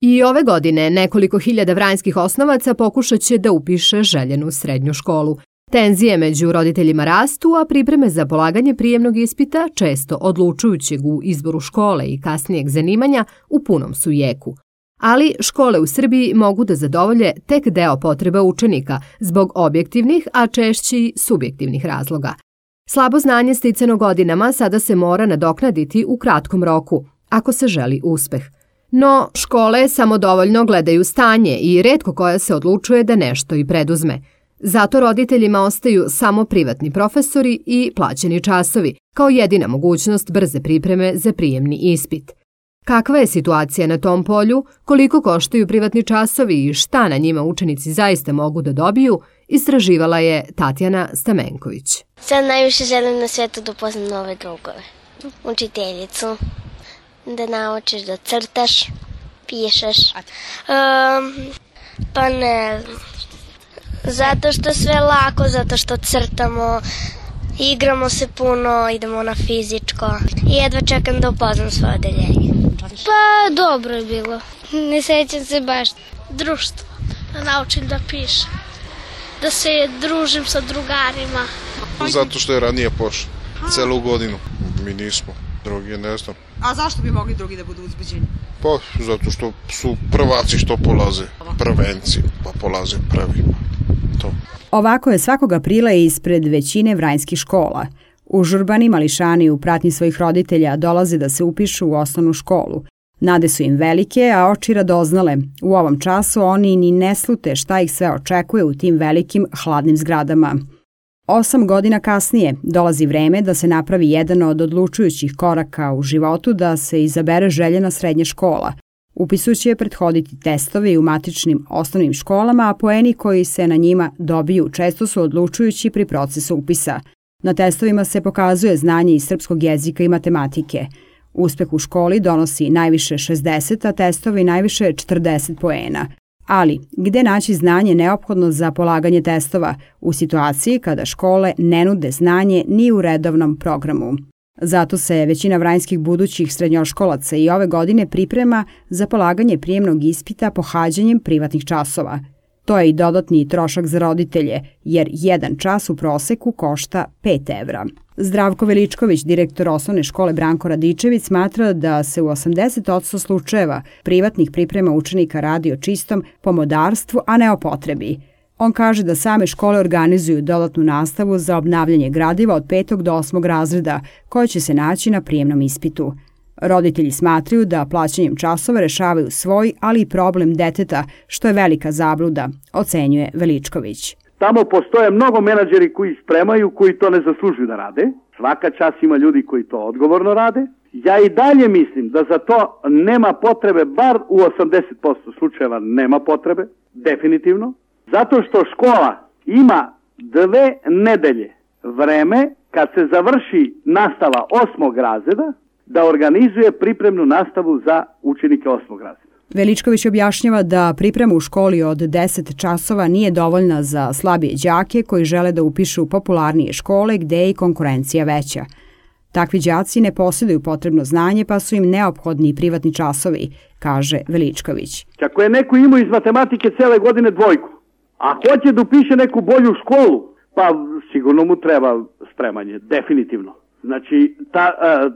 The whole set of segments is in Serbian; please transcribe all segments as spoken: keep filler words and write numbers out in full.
I ove godine nekoliko hiljada vranjskih osnovaca pokušat će da upiše željenu srednju školu. Tenzije među roditeljima rastu, a pripreme za polaganje prijemnog ispita, često odlučujućeg u izboru škole i kasnijeg zanimanja, u punom su jeku. Ali škole u Srbiji mogu da zadovolje tek deo potreba učenika zbog objektivnih, a češće i subjektivnih razloga. Slabo znanje sticano godinama sada se mora nadoknaditi u kratkom roku, ako se želi uspeh. No, škole samodovoljno gledaju stanje i retko koja se odlučuje da nešto i preduzme. Zato roditeljima ostaju samo privatni profesori i plaćeni časovi, kao jedina mogućnost brze pripreme za prijemni ispit. Kakva je situacija na tom polju, koliko koštaju privatni časovi i šta na njima učenici zaista mogu da dobiju, istraživala je Tatjana Stamenković. Sad najviše želim na svetu da upoznam nove drugove. Učiteljicu, da naučiš da crtaš, pišeš. Um, pa ne znam. Zato što sve lako, zato što crtamo, igramo se puno, idemo na fizičko i jedva čekam da upoznam svoje odeljenje. Pa dobro je bilo, ne sećam se baš. Društvo, da naučim da pišem, da se družim sa drugarima. Zato što je ranije pošlo, celu godinu, mi nismo, drugi ne znam. A zašto bi mogli drugi da budu uzbuđeni? Pa zato što su prvaci što polaze, prvenci, pa polaze prvi. To. Ovako je svakog aprila ispred većine vranjskih škola. Užurbani mališani u pratnji svojih roditelja dolaze da se upišu u osnovnu školu. Nade su im velike, a oči radoznale. U ovom času oni ni ne slute šta ih sve očekuje u tim velikim hladnim zgradama. Osam godina kasnije dolazi vreme da se napravi jedan od odlučujućih koraka u životu da se izabere željena srednja škola. Upisu će prethoditi testovi u matičnim osnovnim školama, a poeni koji se na njima dobiju često su odlučujući pri procesu upisa. Na testovima se pokazuje znanje iz srpskog jezika i matematike. Uspeh u školi donosi najviše šezdeset, a testovi najviše četrdeset poena. Ali, gde naći znanje neophodno za polaganje testova u situaciji kada škole ne nude znanje ni u redovnom programu? Zato se većina vranjskih budućih srednjoškolaca i ove godine priprema za polaganje prijemnog ispita pohađanjem privatnih časova. To je i dodatni trošak za roditelje, jer jedan čas u proseku košta pet evra. Zdravko Veličković, direktor osnovne škole Branko Radičević, smatra da se u osamdeset posto slučajeva privatnih priprema učenika radi o čistom pomodarstvu, a ne o potrebi. On kaže da same škole organizuju dodatnu nastavu za obnavljanje gradiva od petog do osmog razreda, koje će se naći na prijemnom ispitu. Roditelji smatraju da plaćanjem časova rešavaju svoj, ali i problem deteta, što je velika zabluda, ocenjuje Veličković. Tamo postoje mnogo menadžeri koji spremaju, koji to ne zaslužuju da rade. Svaka čast ima ljudi koji to odgovorno rade. Ja i dalje mislim da za to nema potrebe, bar u osamdeset posto slučajeva nema potrebe, definitivno. Zato što škola ima dve nedelje vreme kad se završi nastava osmog razreda da organizuje pripremnu nastavu za učenike osmog razreda. Veličković objašnjava da priprema u školi od deset časova nije dovoljna za slabije đake koji žele da upišu popularnije škole gde je i konkurencija veća. Takvi đaci ne posjeduju potrebno znanje pa su im neophodni privatni časovi, kaže Veličković. Ako je neko imao iz matematike cele godine dvojku, a hoće da upiše neku bolju školu, pa sigurno mu treba spremanje, definitivno. Znači, ta a, a,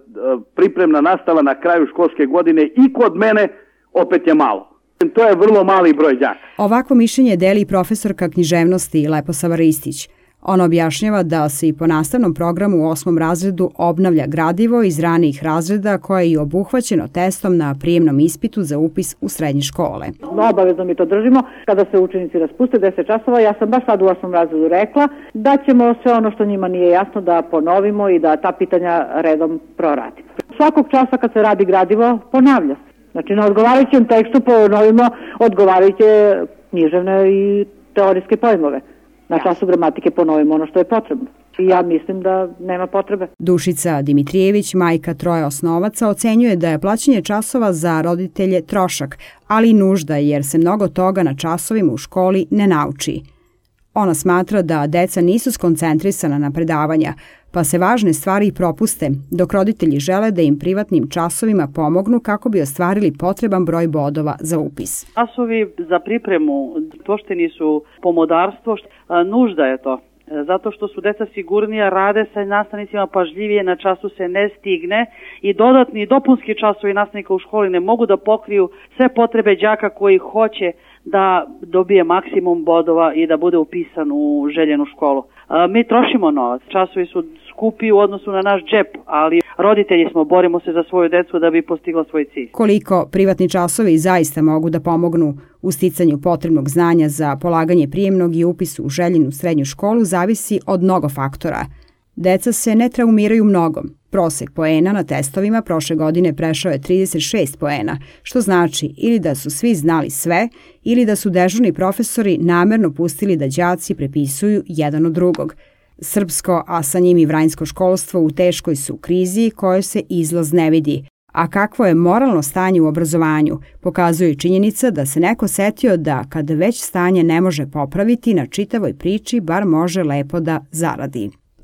pripremna nastava na kraju školske godine i kod mene opet je malo. To je vrlo mali broj đaka. Ovako mišljenje deli profesorka književnosti Leposava Ristić. Ona objašnjava da se i po nastavnom programu u osmom razredu obnavlja gradivo iz ranijih razreda koje je i obuhvaćeno testom na prijemnom ispitu za upis u srednje škole. Obavezno mi to držimo. Kada se učenici raspuste deset časova, ja sam baš sad u osmom razredu rekla da ćemo sve ono što njima nije jasno da ponovimo i da ta pitanja redom proradimo. Svakog časa kad se radi gradivo, ponavlja se. Znači na odgovarajućem tekstu ponovimo odgovarajuće književne i teorijske pojmove. Na času gramatike ponovimo ono što je potrebno. I ja mislim da nema potrebe. Dušica Dimitrijević, majka troje osnovaca, ocenjuje da je plaćanje časova za roditelje trošak, ali i nužda jer se mnogo toga na časovima u školi ne nauči. Ona smatra da deca nisu skoncentrisana na predavanja, pa se važne stvari propuste, dok roditelji žele da im privatnim časovima pomognu kako bi ostvarili potreban broj bodova za upis. Časovi za pripremu pošteni su pomodarstvo, nužda je to. Zato što su deca sigurnija, rade sa nastavnicima pažljivije, na času se ne stigne i dodatni i dopunski časovi nastavnika u školi ne mogu da pokriju sve potrebe đaka koji hoće da dobije maksimum bodova i da bude upisan u željenu školu. Mi trošimo novac, časovi su skupi u odnosu na naš džep, ali roditelji smo, borimo se za svoju decu da bi postigla svoj cilj. Koliko privatni časovi zaista mogu da pomognu u sticanju potrebnog znanja za polaganje prijemnog i upisu u željenu srednju školu zavisi od mnogo faktora. Deca se ne traumiraju mnogo. Prosek poena na testovima prošle godine prešao je trideset šest poena, što znači ili da su svi znali sve, ili da su dežurni profesori namerno pustili da đaci prepisuju jedan od drugog. Srpsko, a sa njim i vranjsko školstvo u teškoj su krizi kojoj se izlaz ne vidi. A kakvo je moralno stanje u obrazovanju, pokazuje i činjenica da se neko setio da kada već stanje ne može popraviti, na čitavoj priči bar može lepo da zaradi.